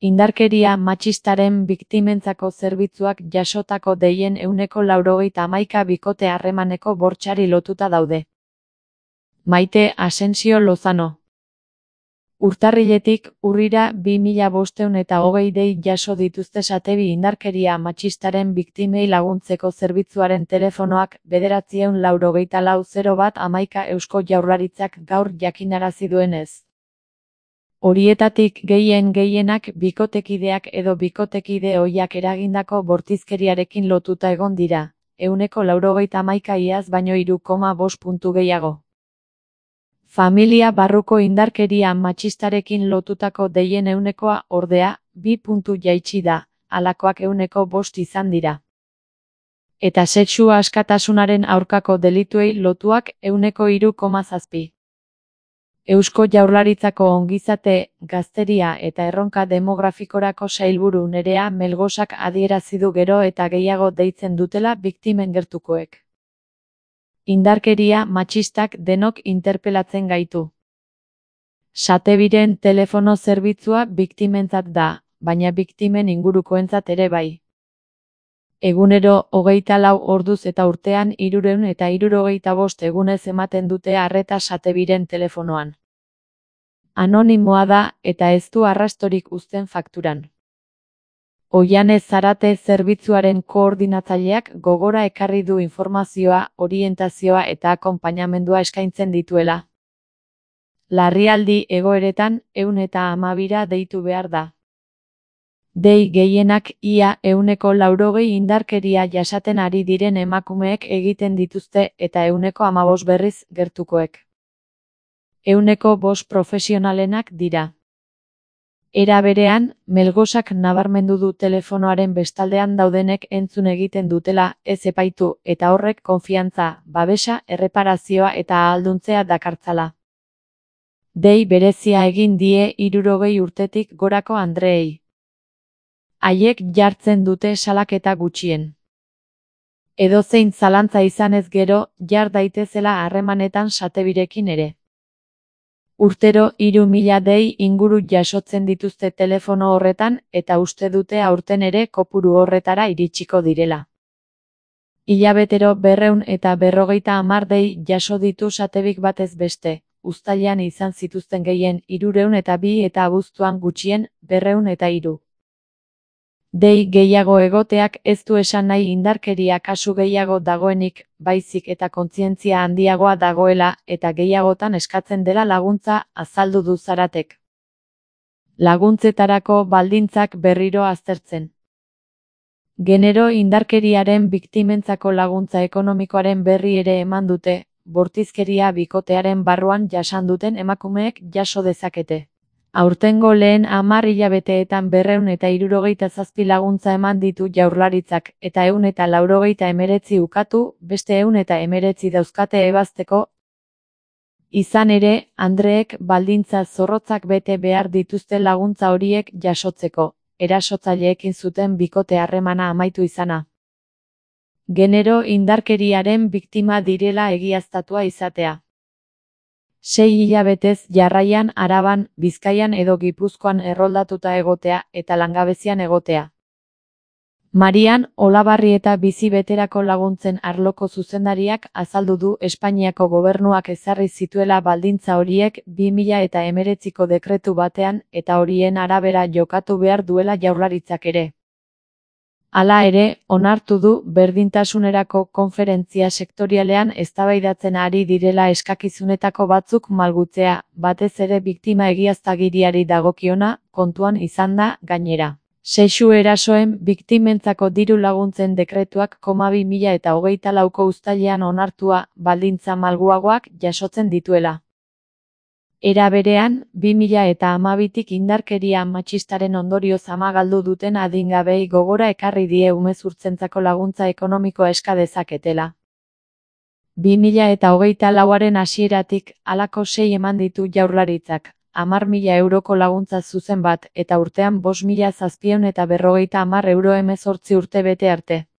Indarkeria matxistaren biktimentzako zerbitzuak jasotako deien 91% bikote harremaneko bortxari lotuta daude. Maite Asensio Lozano. Urtarriletik urrira 2520 dei jaso dituzte Satebi indarkeria matxistaren biktimei laguntzeko zerbitzuaren telefonoak 994-01 Eusko Jaurlaritzak gaur jakinarazi duenez. Horietatik gehienak bikotekideak edo bikotekide ohiak eragindako bortizkeriarekin lotuta egon dira, 91% iaz baino 3,5 puntu gehiago. Familia barruko indarkeria matxistarekin lotutako deien 100%, ordea, 2 puntu jaitsi da, halakoak 5% izan dira. Eta sexu askatasunaren aurkako delituei lotuak 3,7%. Eusko Jaurlaritzako ongizate, gazteria eta erronka demografikorako sailburu Nerea Melgosak adierazi du gero eta gehiago deitzen dutela biktimen gertukoek. Indarkeria matxistak denok interpelatzen gaitu. Satebiren telefono zerbitzua biktimentzat da, baina biktimen ingurukoentzat ere bai. Egunero 24 orduz eta urtean 365 egunez ematen dute arreta Satebiren telefonoan. Anonimoa da eta ez du arrastorik uzten fakturan. Oianez Zarate zerbitzuaren koordinatzaileak gogora ekarri du informazioa, orientazioa eta akonpainamendua eskaintzen dituela. Larrialdi egoeretan 112 deitu behar da. Dei gehienak ia 180 indarkeria jasaten ari diren emakumeek egiten dituzte eta 115 berriz gertukoek. 105 profesionalenak dira. Era berean, Melgosak nabarmendu du telefonoaren bestaldean daudenek entzun egiten dutela, ez epaitu, eta horrek konfiantza, babesa, erreparazioa eta ahalduntzea dakartzala. Dei berezia egin die 60 urtetik gorako andreei. Haiek jartzen dute salaketa gutxien. Edozein zalantza izanez gero, jar daitezela harremanetan Satebirekin ere. Urtero 3000 dei inguru jasotzen dituzte telefono horretan eta uste dute aurten ere kopuru horretara iritsiko direla. Hilabetero 250 dei jaso ditu Satebik batez beste, uztailean izan zituzten gehien 302 eta abuztuan gutxien 203. Dei gehiago egoteak ez du esan nahi indarkeria kasu gehiago dagoenik, baizik eta kontzientzia handiagoa dagoela eta gehiagotan eskatzen dela laguntza, azaldu du Zaratek. Laguntzetarako baldintzak berriro aztertzen. Genero indarkeriaren biktimentzako laguntza ekonomikoaren berri ere eman dute, bortizkeria bikotearen barruan jasan duten emakumeek jaso dezakete. Aurtengo lehen 10 hilabeteetan 267 laguntza eman ditu Jaurlaritzak eta 189 ukatu, beste 119 dauzkate ebazteko. Izan ere, andreek baldintza zorrotzak bete behar dituzte laguntza horiek jasotzeko, erasotzaileekin zuten bikote harremana amaitu izana. Genero indarkeriaren biktima direla egiaztatua izatea. 6 hilabetez jarraian Araban, Bizkaian edo Gipuzkoan erroldatuta egotea eta langabezian egotea. Marian Olabarrieta bizi beterako laguntzen arloko zuzendariak azaldu du Espainiako gobernuak ezarri zituela baldintza horiek 2019ko dekretu batean eta horien arabera jokatu behar duela Jaurlaritzak ere. Hala ere, onartu du berdintasunerako konferentzia sektorialean eztabaidatzen ari direla eskakizunetako batzuk malgutzea, batez ere biktima egiaztagiriari dagokiona, kontuan izan da, gainera. Sexu erasoen biktimentzako diru laguntzen dekretuak 2024ko uztailean onartua, baldintza malguagoak jasotzen dituela. Era berean, 2012tik indarkeria matxistaren ondorioz ama galdu duten adingabei gogora ekarri die umezurtzentzako laguntza ekonomikoa eska dezaketela. 2024aren hasieratik, halako 6 eman ditu Jaurlaritzak, 10.000 euroko laguntza zuzen bat, eta urtean 5.750 euro 18 urte bete arte.